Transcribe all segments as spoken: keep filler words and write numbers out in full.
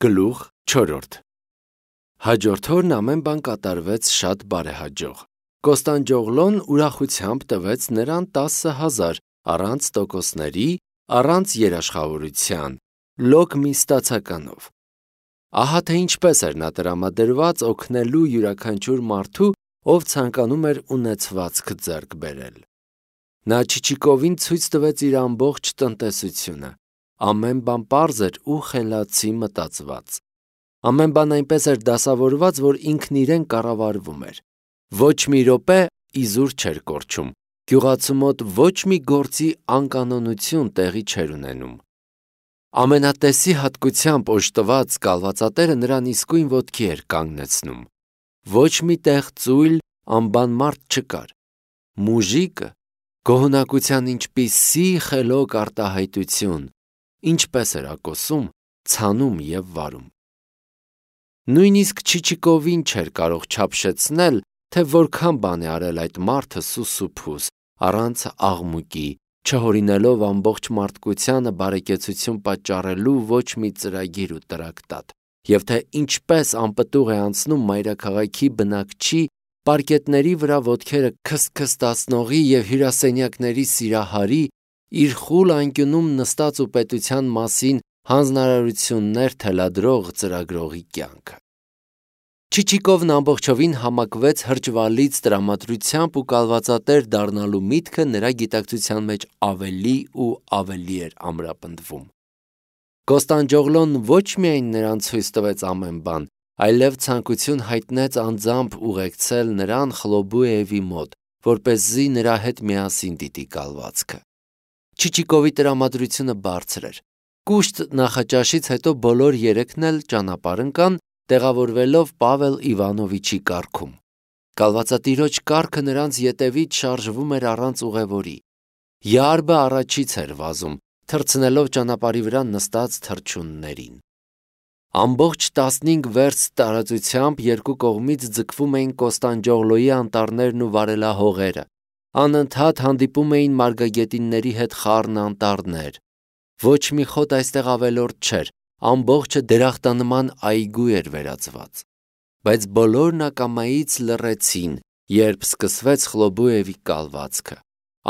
Գլուխ չորրորդ Հաջորդ օրն ամեն բան կատարվեց շատ բարեհաջող։ Կոստանդջոգլոն ուրախությամբ տվեց նրան տասը հազար առանց տոկոսների, առանց երաշխավորության, լոկ մի ստացականով։ Ահա թե ինչպես էր նա տրամադրված օգնելու յուրաքանչյուր մարդու, ով ցանկանում էր ունեցվածք ձեռք բերել։ Նա Չիչիկովին ցույց տվեց իր ամբողջ տնտեսությունը։ Ամեն բան պարզ էր ու խելացի մտածված։ Ամեն բան այնպես էր դասավորված, որ ինքն իրեն կառավարվում էր։ Ոչ մի րոպե իզուր չէր կորչում։ Գյուղացու մոտ ոչ մի գործի անկանոնություն տեղի չէր ունենում։ Ամենատեսի հատկությամբ օժտված կալվածատերը նրան իսկույն ոտքի էր կանգնեցնում։ Ոչ մի տեղ ծույլ, անբանմարդ չկար։ Մուժիկը գոհունակության ինչպիսի խելոք արտահայտություն, ինչպես էր ակոսում, ցանում և վարում։ Նույնիսկ Չիչիկովին չէր կարող չափշեցնել, թե որքան բան է արել այդ մարդը սուսուփուս, առանց աղմուկի, չհորինելով ամբողջ մարդկությանը բարեկեցություն պատճառելու ոչ մի ծրագիր ու տրակտատ, և թե ինչպես անպտուղ է անցնում մայրաքաղաքի բնակչի, պարկետների վրա ոտքերը քստքստացնողի և հյուրասենյակների սիրահարի, իր խուլ անկյունում նստած ու պետության մասին հանձնարարություններ թելադրող ծրագրողի կյանքը։ Չիչիկովն ամբողջովին համակվեց հրճվալից տրամադրությամբ ու կալվածատեր դառնալու միտքը նրա գիտակցության մեջ ավելի ու ավելի էր ամրապնդվում։ Կոստանդջոգլոն ոչ միայն նրան ցույց տվեց ամեն բան, այլև ցանկություն հայտնեց անձամբ ուղեկցել նրան Խլոբուևի մոտ, որպեսզի նրա հետ միասին դիտի կալվածքը։ Չիչիկովի տրամադրությունը բարձր էր։ Կուշտ նախաճաշից հետո բոլոր երեքն էլ ճանապարհ ընկան, տեղավորվելով Պավել Իվանովիչի կառքում։ Կալվածատիրոջ կառքը նրանց ետևից շարժվում էր առանց ուղևորի։ Յարբը առաջից էր վազում, թռցնելով ճանապարհի վրա նստած թռչուններին։ Ամբողջ տասնհինգ վերստ տարածությամբ երկու կողմից ձգվում էին Կոստանդջոգլոյի անտառներն ու վարելահողերը։ Անընդհատ հանդիպում էին մարգագետինների հետ խառն անտառներ։ Ոչ մի խոտ այստեղ ավելորդ չէր, ամբողջը դրախտանման այգու էր վերածված։ Բայց բոլորն ակամայից լռեցին, երբ սկսվեց Խլոբուևի կալվածքը։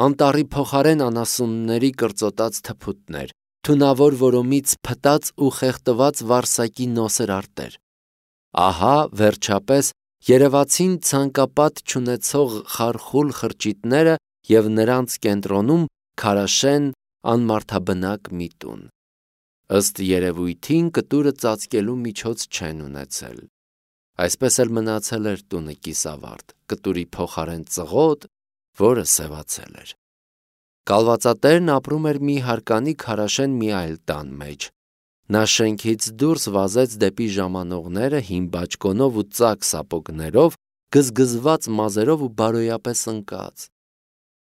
Անտառի փոխարեն անասունների կրծոտած թփուտներ, թունավոր որոմից փտած ու խեղդված վարսակի նոսր արտեր։ Ահա, վերջապես, երևացին ցանկապատ չունեցող խարխուլ խրճիթները և նրանց կենտրոնում քարաշեն անմարդաբնակ մի տուն։ Ըստ երևույթին կտուրը ծածկելու միջոց չեն ունեցել։ Այսպես էլ մնացել էր տունը կիսավարդ, կտուրի փոխարեն ծղոտ, որը սևացել էր։ Կալվածատերն ապրում էր մի հարկանի քարաշեն մի այլ տան մեջ։ Նա շենքից դուրս վազեց դեպի ժամանողները հին բաճկոնով ու ծակ սապոգներով, գզգզված մազերով ու բարոյապես ընկած,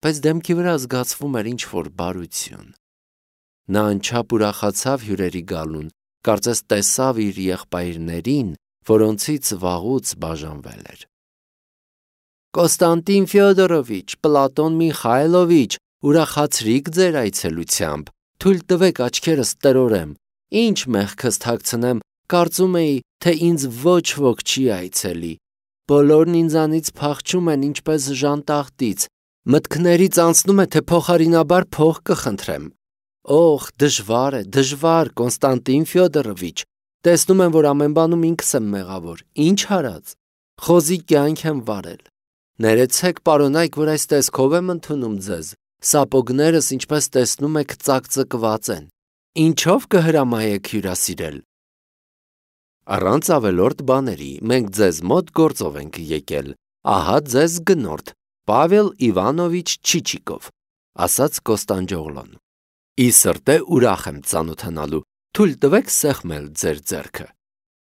բայց դեմքի վրա զգացվում էր ինչ-որ բարություն։ Նա անչափ ուրախացավ հյուրերի գալուն, կարծես տեսավ իր եղբայրներին, որոնցից վաղուց բաժանվել էր։ Կոստանդին Ֆյոդորովիչ, Պլատոն Միխայլովիչ, ուրախացրիք ձեր այցելությամբ, թույլ տվեք աչքերս տրորեմ, ինչ մեղքս թաքցնեմ, կարծում էի, թե ինձ ոչ ոք չի այցելի։ Բոլորն ինձանից փախչում են ինչպես ժանտախտից, մտքներից անցնում է, թե փոխարինաբար փող կխնդրեմ։ Օխ, դժվար է, դժվար, Կոնստանտին Ֆյոդորովիչ, տեսնում եմ, որ ամեն բանում ինքս եմ մեղավոր, ինչ արած, խոզի կյանք եմ վարել։ Ներեցեք, պարոնայք, որ այս տեսքով եմ ընդունում ձեզ, սապոգներս, ինչպես տեսնում եք, ծակծկված են։ Ինչով կհրամայեք հյուրասիրել։ Առանց ավելորդ բաների, մենք ձեզ մոտ գործով ենք եկել, ահա ձեզ գնորդ, Պավել Իվանովիչ Չիչիկով, ասաց Կոստանդջոգլոն։ Ի սրտե ուրախ եմ ծանոթանալու, թույլ տվեք սեղմել ձեր ձեռքը։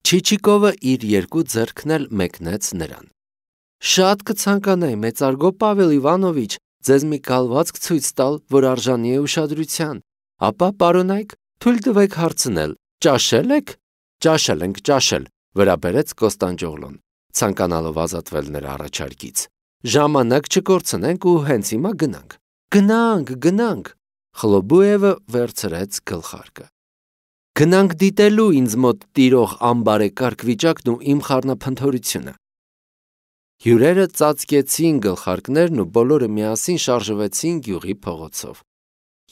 Չիչիկովը իր երկու ձեռքն էլ մեկնեց նրան։ Շատ կցանկանայի, մեծարգո Պավել Իվանովիչ, ձեզ մի կալվածք ցույց տալ, որ արժանի է ուշադրության, ապա, պարոնայք, թույլ տվեք հարցնել, ճաշել եք։ Ճաշել ենք, ճաշել, վրա բերեց Կոստանդջոգլոն, ցանկանալով ազատվել նրա առաջարկից։ Ժամանակ չկորցնենք ու հենց հիմա գնանք։ Գնանք, գնանք։ Խլոբուևը վերցրեց գլխարկը։ Գնանք դիտելու ինձ մոտ տիրող անբարեկարգ վիճակն ու իմ խառնափնթորությունը։ Հյուրերը ծածկեցին գլխարկներն ու բոլորը միասին շարժվեցին գյուղի փողոցով։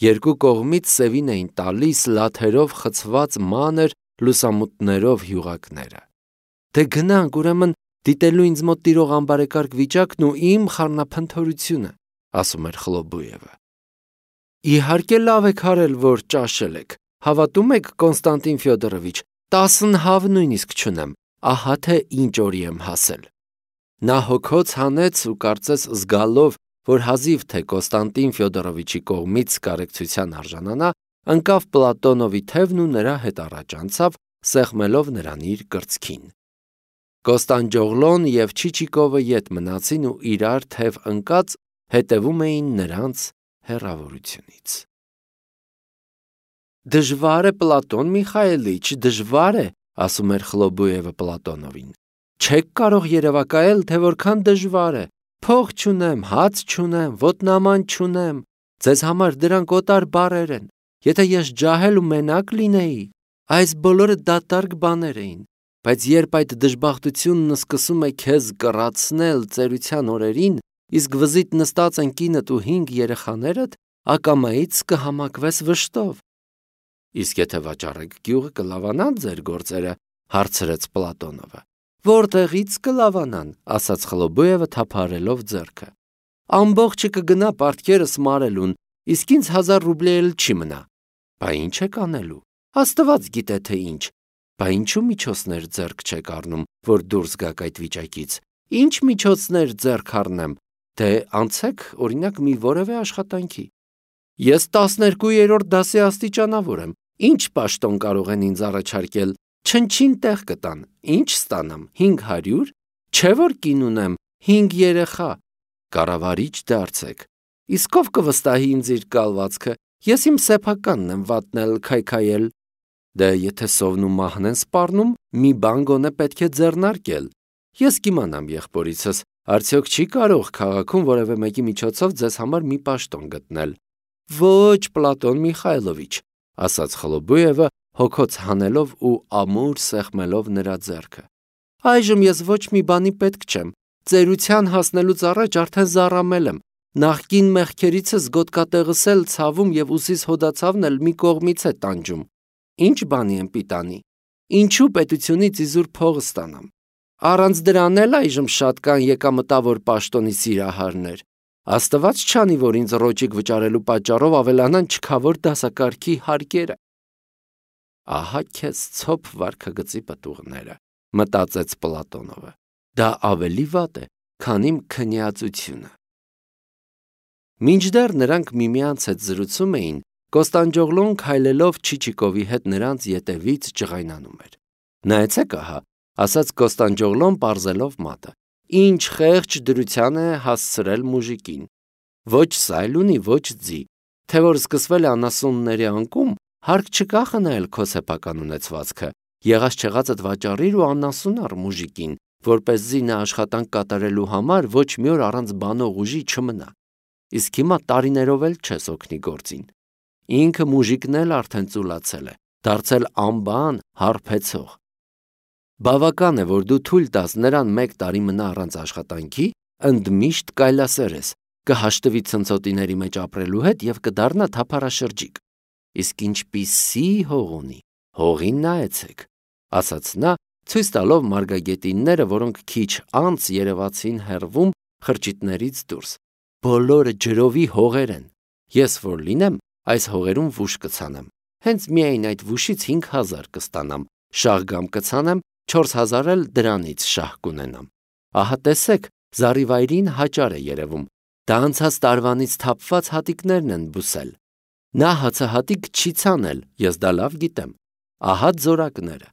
Երկու կողմից սևին էին տալիս լաթերով խցված մանր լուսամուտներով հյուղակները։ Դե գնանք, ուրեմն, դիտելու ինձ մոտ տիրող անբարեկարգ վիճակն ու իմ խառնափնթորությունը, ասում էր Խլոբուևը։ Իհարկե լավ եք արել, որ ճաշել եք, հավատում եք, Կոնստանտին Ֆյոդորովիչ, տասնհավ նույնիսկ չունեմ, ահա թե ինչ օրի եմ հասել։ Նա հոգոց հանեց ու կարծես զգալով, որ հազիվ թե Կոնստանտին Ֆյոդորովիչի կողմից կարեկցության արժանանա, ընկավ Պլատոնովի թևն ու նրա հետ առաջ անցավ, սեղմելով նրան իր կրծքին։ Կոստանդջոգլոն և Չիչիկովը ետ մնացին ու իրար թև ընկած հետևում էին նրանց հեռավորությունից։ Դժվար է, Պլատոն Միխայելիչ, դժվար է, ասում էր Խլոբուևը Պլատոնովին։ Չեք կարող երևակայել, թե որքան դժվար է։ Փող չունեմ, հաց չունեմ, ոտնաման չունեմ։ Ձեզ համար դրանք օտար բառեր են։ Եթե ես ջահել ու մենակ լինեի, այս բոլորը դատարկ բաներ էին։ Բայց երբ այդ դժբախտությունն սկսում է քեզ կռացնել ծերության օրերին, իսկ վզիտ նստած են կինդ ու հինգ երեխաներդ, ակամայից կհամակվես վշտով։ Իսկ եթե վաճառեք գյուղը, կլավանան ձեր գործերը, հարցրեց Պլատոնովը։ Որտեղից կլավանան, ասաց Խլոբուևը թափարելով ձեռքը։ Ամբողջը կգնա պարտքերս մարելուն, իսկ ինձ հազար ռուբլի էլ չի մնա։ Բա ինչ եք անելու։ Աստված գիտե թե ինչ։ Բա ինչու միջոցներ ձեռք չեք առնում, որ դուրս գաք այդ վիճակից։ Ինչ միջոցներ ձեռք առնեմ, դե անցեք, օրինակ, մի որևէ աշխատանքի։ Ես տասներկուերորդ դասի աստիճանավոր եմ։ Ինչ պաշտոն կարող են ինձ առաջարկել։ Չնչին տեղ կտան, ինչ ստանամ, հինգ հարյուր, չէ որ կին ունեմ, հինգ երեխա, կառավարիչ դարձեք, իսկ ով կվստահի ինձ իր կալվածքը, ես իմ սեփականն եմ վատնել, քայքայել, դե եթե սովն ու մահն են սպառնում, մի բան գոնե պետք է ձեռնարկել, ես կիմանամ եղբորիցս, արդյոք չի կարող քաղաքում որևէ մեկի միջոցով ձեզ համար մի պաշտոն գտնել, ոչ Պլատոն Միխայլովիչ, ասաց Խլոբուևը, հոգոց հանելով ու ամուր սեղմելով նրա ձեռքը։ Այժմ ես ոչ մի բանի պետք չեմ, ծերության հասնելուց առաջ արդեն զառամել եմ, նախկին մեղքերիցս գոտկատեղս էլ ցավում և ուսիս հոդացավն էլ մի կողմից է տանջում, ինչ բանի եմ պիտանի, ինչու պետությունից իզուր փող ստանամ, առանց դրան էլ այժմ շատ կան եկամտավոր պաշտոնի սիրահարներ, Աստված չանի, որ ինձ ռոճիկ վճարելու պատճառով ավելանան չքավոր դասակարգի հարկերը։ Ահա քեզ ցոփ վարքագծի պտուղները, մտածեց Պլատոնովը, դա ավելի վատ է, քան իմ քնյացությունը։ Մինչդեռ նրանք միմյանց հետ զրուցում էին, Կոստանդջոգլոն քայլելով Չիչիկովի հետ նրանց ետևից ջղայնանում էր։ Նայեցեք ահա, ասաց Կոստանդջոգլոն պարզելով մատը, ինչ խեղճ դրության է հասցրել մուժիկին։ Ոչ սայլ ունի, ոչ ձի, թե որ սկսվել է անասունների անկում, հարկ չկա խնայել քո սեփական ունեցվածքը, եղած չեղածդ վաճառիր ու անասուն առ մուժիկին, որպեսզի նա աշխատանք կատարելու համար ոչ մի օր առանց բանող ուժի չմնա։ Իսկ հիմա տարիներով էլ չես օգնի գործին։ Ինքը մուժիկն էլ արդեն ծուլացել է, դարձել անբան, հարբեցող։ Բավական է, որ դու թույլ տաս նրան մեկ տարի մնա առանց աշխատանքի, ընդմիշտ կայլասերես, կհաշտվի ցնցոտիների մեջ ապրելու հետ և կդառնա թափառաշրջիկ։ Իսկ ինչպիսի հող ունի, հողին նայեցեք, ասաց նա, ցույց տալով մարգագետինները, որոնք քիչ անց երևացին հեռվում խրճիթներից դուրս։ Բոլորը ջրովի հողեր են։ Ես որ լինեմ, այս հողերում վուշ կցանեմ։ Հենց միայն այդ վուշից հինգ հազար կստանամ, շաղգամ կցանեմ, չորս հազար էլ դրանից շահ կունենամ։ Ահա տեսեք, զառիվայրին հաճար է երևում։ Դա անցած տարվանից թափված հատիկներն են բուսել։ Նա հացահատիկ չի ցանել, ես դա լավ գիտեմ։ Ահա ձորակները։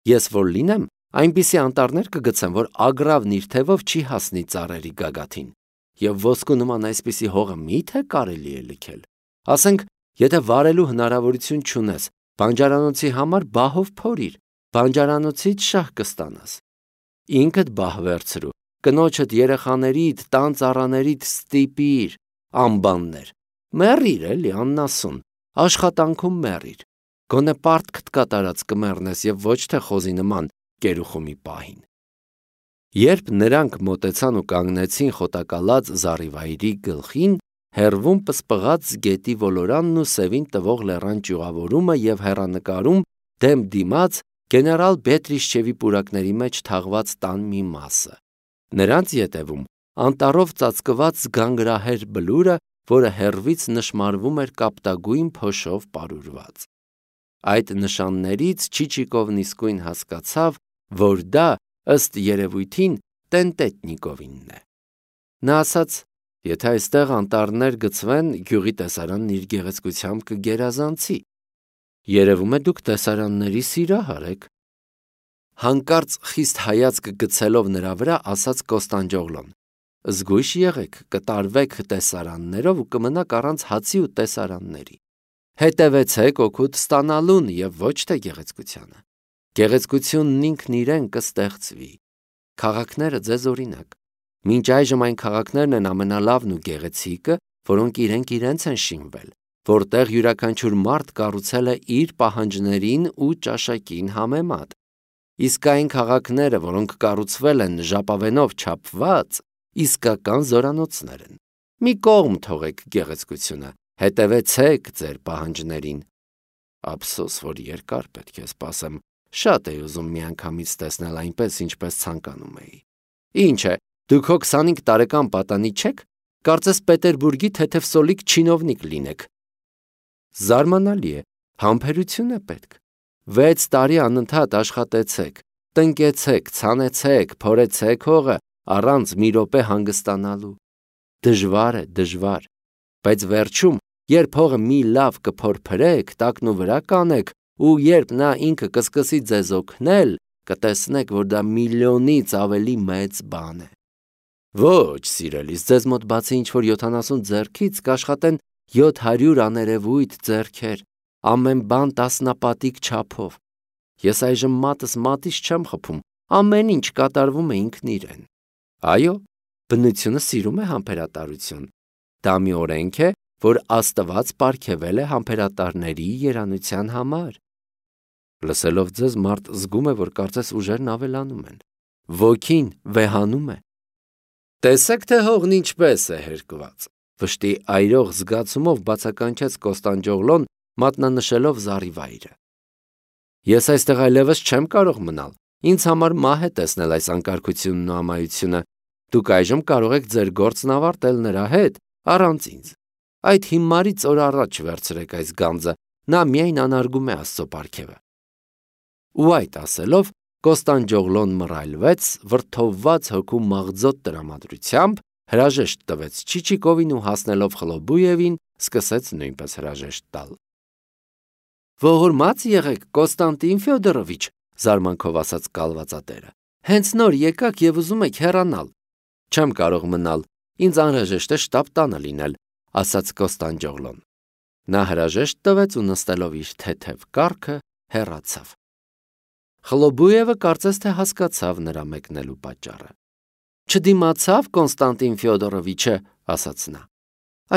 Ես որ լինեմ, այնպիսի անտառներ կգցեմ, որ ագռավն իր թևով չի հասնի ծառերի գագաթին։ Եվ ոսկու նման այսպիսի հողը մի՞թե կարելի է լքել։ Ասենք, եթե վարելու հնարավորություն չունես, բանջարանոցի համար բահով փորիր, բանջարանոցից շահ կստանաս։ Ինքդ բահ վերցրու, կնոջդ երեխաներիդ, տան ծառաներիդ ստիպիր, անբաններ։ Մեռիր էլի աննասուն, աշխատանքում մեռիր։ գոնե պարտքդ կատարած կմեռնես եւ ոչ թե խոզի նման կերուխումի պահին։ Երբ նրանք մոտեցան ու կանգնեցին խոտակալած զառիվայրի գլխին, հեռվում պսպղաց գետի ոլորանն ու սևին տվող լեռան ճյուղավորումը եւ հեռանկարում դեմ դիմաց գեներալ Բետրիշչևի պուրակների մեջ թաղված տան մի մասը։ Նրանց ետևում անտառով ծածկված զգանգրահեր բլուրը, որը հեռվից նշմարվում էր կապտագույն փոշով պարուրված։ Այդ նշաններից Չիչիկովն իսկույն հասկացավ, որ դա ըստ երևույթին Տենտետնիկովինն է։ Նա ասաց. «Եթե այստեղ անտառներ գծվեն, գյուղի տեսարանն իր գեղեցկությամբ կգերազանցի։ Երևում է դուք տեսարանների սիրահար եք»։ Հանկարծ խիստ հայացք գցելով նրա վրա, ասաց Կոստանդջոգլոն. «Զգույշ եղեք, կտարվեք տեսարաններով ու կմնաք առանց հացի ու տեսարանների։ Հետևեցեք օգուտ ստանալուն եւ ոչ թե գեղեցկությանը։ Գեղեցկությունն ինքն իրեն կստեղծվի։ Քաղաքները ձեզ օրինակ։ Մինչ այժմ այն քաղաքներն են ամենալավն ու գեղեցիկը, որոնք իրենք իրենց են շինվել, որտեղ յուրաքանչյուր մարդ կառուցել է իր պահանջներին ու ճաշակին համեմատ։ Իսկ այն քաղաքները, որոնք կառուցվել են ժապավենով չափված, իսկական զորանոցներ են։ Մի կողմ թողեք գեղեցկությունը, հետևեցեք ձեր պահանջներին։ Ափսոս, որ երկար պետք է սպասեմ, շատ էի ուզում միանգամից տեսնել այնպես, ինչպես ցանկանում էի։ Ինչ է, դուք հո քսանհինգ տարեկան պատանի չեք, կարծես Պետերբուրգի թեթևսոլիկ չինովնիկ լինեք։ Զարմանալի է, համբերություն է պետք։ Վեց տարի անընդհատ աշխատեցեք, տնկեցեք, ցանեցեք, փորեցեք հողը, առանց մի րոպե հանգստանալու։ Դժվար է, դժվար, բայց վերջում, երբ հողը մի լավ կփորփրեք, տակն ու վրա կանեք, ու երբ նա ինքը կսկսի ձեզ օգնել, կտեսնեք, որ դա միլիոնից ավելի մեծ բան է։ Ոչ, սիրելիս, ձեզ մոտ բացի ինչ-որ յոթանասուն ձեռքից կաշխատեն յոթ հարյուր աներևույթ ձեռքեր, ամեն բան տասնապատիկ չափով։ Ես այժմ մատս մատից չեմ խփում, ամեն ինչ կատարվում է ինքն իրեն։ Այո, բնությունը սիրում է համբերատարություն։ Դա մի օրենք է, որ Աստված պարգևել է համբերատարների երանության համար։ Լսելով ձեզ, մարդ զգում է, որ կարծես ուժերն ավելանում են։ Ոգին վեհանում է։ Տեսեք, թե հողն ինչպես է հերկված։ Վշտի այրող զգացումով բացականչեց Կոստանդջոգլոն, մատնանշելով զառիվայրը։ Ես այստեղ այլևս չեմ կարող մնալ։ Ինձ համար մահ է տեսնել այս անկարգությունն ու ամայությունը։ Դուք այժմ կարող եք ձեր գործն ավարտել նրա հետ, առանց ինձ։ Այդ հիմարից օր առաջ վերցրեք այս գանձը, նա միայն անարգում է Աստծո պարգևը։ Ու այդ ասելով Կոստանդջոգլոն մռայլվեց, վրդովված հոգու մաղձոտ տրամադրությամբ, հրաժեշտ տվեց Չիչիկովին ու հասնելով Խլոբուևին, սկսեց նույնպես հրաժեշտ տալ։ Ողորմած եղեք, Կոստանտին Ֆյոդորովիչ, զարմանքով ասաց կալվածատերը։ Հենց նոր եկաք եւ ուզում եք հեռանալ։ Չեմ կարող մնալ, ինձ անհրաժեշտ է շտապ տանը լինել, ասաց Կոստանդջոգլոն։ Նա հրաժեշտ տվեց ու նստելով իր թեթև կառքը հեռացավ։ Խլոբուևը կարծես թե հասկացավ նրա մեկնելու պատճառը։ Չդիմացավ Կոնստանտին Ֆյոդորովիչը, ասաց նա։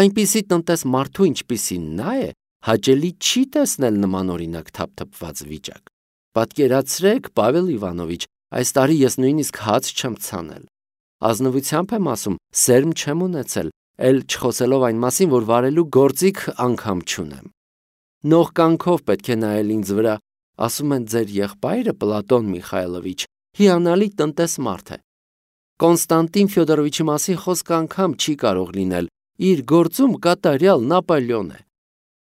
Այնպիսի տնտես մարդու, ինչպիսին նա է, հաճելի չի տեսնել նման օրինակ թափթփված վիճակ։ Պատկերացրեք, Պավել Իվանովիչ, այս տարի ես նույնիսկ հաց չեմ ցանել։ Ազնվությամբ եմ ասում, սերմ չեմ ունեցել, էլ չխոսելով այն մասին, որ վարելու գործիք անգամ չունեմ։ Նողկանքով պետք է նայել ինձ վրա, ասում են ձեր եղբայրը Պլատոն Միխայլովիչ հիանալի տնտես մարդ է։ Կոնստանտին Ֆյոդորովիչի մասին խոսք անգամ չի կարող լինել, իր գործում կատարյալ Նապոլեոն է։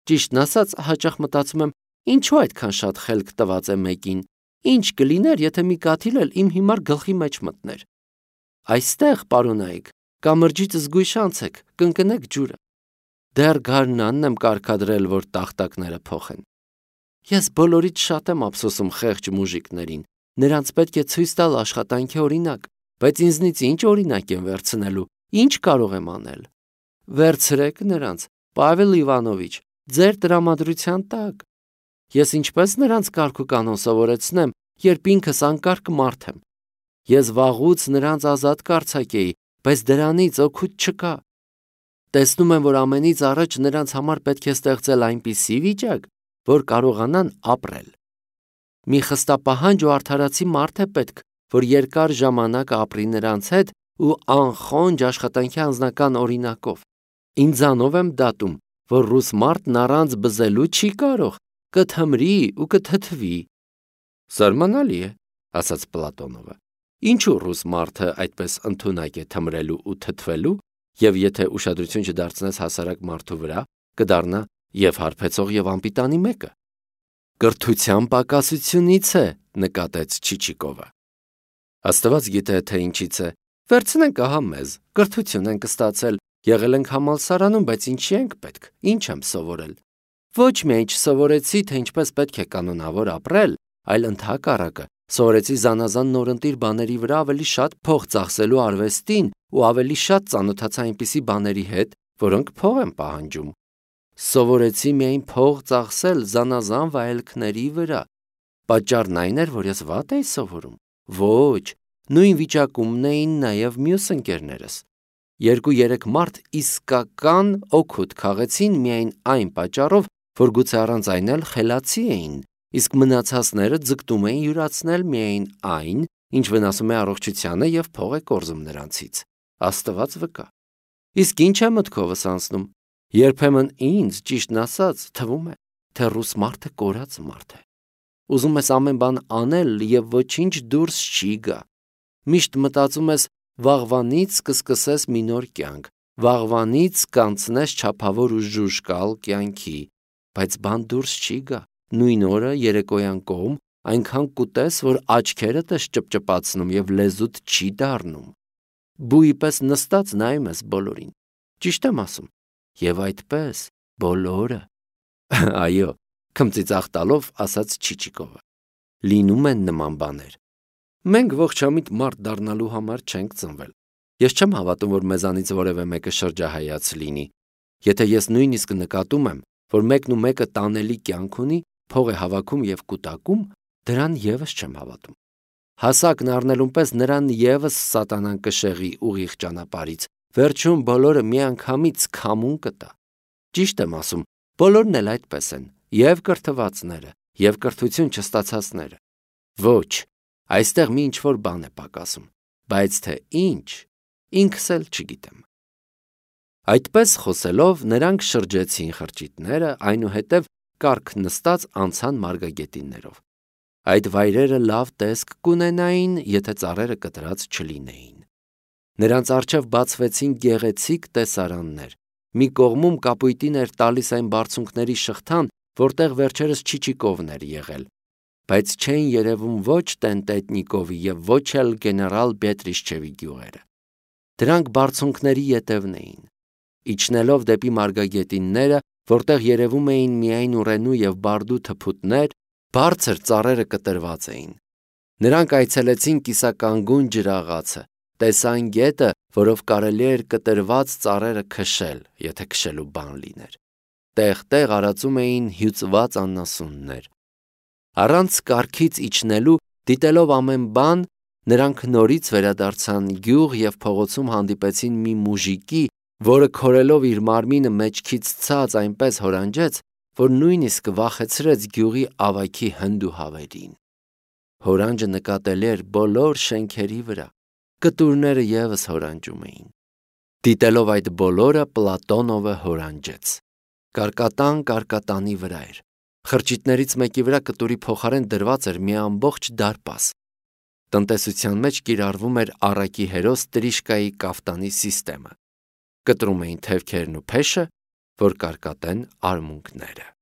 Ճիշտն ասած, հաճախ մտածում եմ, ինչու այդքան շատ խելք տված է մեկին, ինչ կլիներ, եթե մի կաթիլ էլ իմ հիմար գլխի մեջ մտներ։ Այստեղ, պարոնայք, կամրջից զգույշ անցեք, կընկնեք ջուրը։ Դեռ գարնանն եմ կարգադրել, որ տախտակները փոխեն։ Ես բոլորից շատ եմ ափսոսում խեղճ մուժիկներին, նրանց պետք է ցույց տալ աշխատանքի օրինակ, բայց ինձնից ինչ օրինակ են վերցնելու, ինչ կարող եմ անել։ Վերցրեք նրանց, Պավել Իվանովիչ, ձեր տրամադրության տակ։ Ես ինչպես նրանց կարգ ու կանոն սովորեցնեմ, երբ ինքս անկարգ մարդ եմ։ Ես վաղուց նրանց ազատ կարձակեի, բայց դրանից օգուտ չկա։ Տեսնում եմ, որ ամենից առաջ նրանց համար պետք է ստեղծել այնպիսի վիճակ, որ կարողանան ապրել։ Մի խստապահանջ ու արդարացի մարդ է պետք, որ երկար ժամանակ ապրի նրանց հետ ու անխոնջ աշխատանքի անձնական օրինակով։ Ինձանով եմ դատում, որ ռուս մարդն առանց բզելու չի կարող, կթմրի ու կթթվի։ Զարմանալի է, ասաց Պլատոնովը։ Ինչու ռուս մարդը այդպես ընդունակ է թմրելու ու թթվելու, եւ եթե ուշադրություն չդարձնես հասարակ մարդու վրա, կդառնա եւ հարբեցող եւ անպիտանի մեկը։ Կրթության պակասությունից է, նկատեց Չիչիկովը։ Աստված գիտե, թե ինչից է։ Վերցնենք ահա մեզ, կրթություն ենք ստացել, եղել ենք համալսարանում, բայց ինչի ենք պետք, ինչ եմ սովորել։ Ոչ միայն չսովորեցի, թե ինչպես պետք է կանոնավոր ապրել, այլ ընդհակառակը, սովորեցի զանազան նորընտիր բաների վրա ավելի շատ փող ծախսելու արվեստին ու ավելի շատ ծանոթացա այնպիսի բաների հետ, որոնք փող են պահանջում։ Սովորեցի միայն փող ծախսել զանազան վայելքների վրա։ Պատճառն այն էր, որ ես վատ էի սովորում։ Ոչ, նույն վիճակումն էին նաև մյուս ընկերներս։ Երկու-երեք մարդ իսկական օգուտ քաղեցին միայն այն պատճառով, որ գուցե առանց այն էլ խելացի էին, իսկ մնացածները ձգտում էին յուրացնել միայն այն, ինչ վնասում է առողջությանը եւ փող է կորզում նրանցից։ Աստված վկա։ Իսկ ինչ է մտքովս անցնում։ Երբեմն ինձ, ճիշտն ասած, թվում է, թե ռուս մարդը կորած մարդ է։ Ուզում ես ամեն բան անել եւ ոչինչ դուրս չի գա։ Միշտ մտածում ես վաղվանից կսկսես մի նոր կյանք, վաղվանից կանցնես չափավոր ու ժուժկալ կյանքի, բայց բան դուրս չի գա։ Նույն օրը երեկոյան կողմ այնքան կուտես, որ աչքերդ ես ճպճպացնում եւ լեզուդ չի դառնում։ Բույի պես նստած նայում ես բոլորին։ Ճիշտ եմ ասում։ Եվ այդպես բոլորը։ Այո, քմծիծաղ տալով ասաց Չիչիկովը։ Լինում են նման բաներ։ Մենք ողջամիտ մարդ դառնալու համար չենք ծնվել։ Ես չեմ հավատում, որ մեզանից որևէ մեկը շրջահայաց լինի։ Եթե ես նույնիսկ նկատում եմ, որ մեկն ու մեկը տանելի կյանք ունի, փող է հավաքում եւ կուտակում, դրան եւս չեմ հավատում։ Հասակն առնելուն պես նրան եւս սատանան կշեղի ուղիղ ճանապարհից։ Վերջում բոլորը միանգամից քամուն կտա։ Ճիշտ եմ ասում, բոլորն էլ այդպես են, եւ կրթվածները, եւ կրթություն չստացածները։ Ոչ, այստեղ մի ինչ-որ բան է պակասում, բայց թե ինչ, ինքս էլ չգիտեմ։ Այդպես խոսելով նրանք շրջեցին խրճիթները, այնուհետև կառք նստած անցան մարգագետիններով։ Այդ վայրերը լավ տեսք կունենային, եթե ծառերը կտրած չլինեին։ Նրանց առջև բացվեցին գեղեցիկ տեսարաններ։ Մի կողմում կապույտին էր տալիս այն բարձունքների շղթան, որտեղ վերջերս Չիչիկովն էր եղել, բայց չէին երևում ոչ Տենտետնիկովի եւ ոչ էլ գեներալ Բետրիշչևի գյուղերը։ Դրանք բարձունքների ետևն էին։ Իջնելով դեպի մարգագետինները, որտեղ երևում էին միայն ուռենու եւ բարդու թփուտներ, բարձր ծառերը կտրված էին։ Նրանք այցելեցին կիսականգուն ջրաղացը, տեսան գետը, որով կարելի էր կտրված ծառերը քշել, եթե քշելու բան լիներ։ Տեղ-տեղ արածում էին հյուծված անասուններ։ Առանց կառքից իջնելու, դիտելով ամեն բան, նրանք նորից վերադարձան գյուղ եւ փողոցում հանդիպեցին մի մուժիկի, որը քորելով իր մարմինը մեջքից ցած այնպես հորանջեց, որ նույնիսկ վախեցրեց գյուղի ավագի հնդուհավերին։ Հորանջը նկատելի էր բոլոր շենքերի վրա, կտուրները եւս հորանջում էին։ Դիտելով այդ բոլորը, Պլատոնովը հորանջեց։ Կարկատան կարկատանի վրա էր։ Խրճիթներից մեկի վրա կտուրի փոխարեն դրված էր մի ամբողջ դարպաս։ Տնտեսության մեջ կիրառվում էր առակի հերոս Տրիշկայի կաֆտանի սիստեմը։ Կտրում էին թևքերն ու փեշը, որ կարկատեն արմունկները։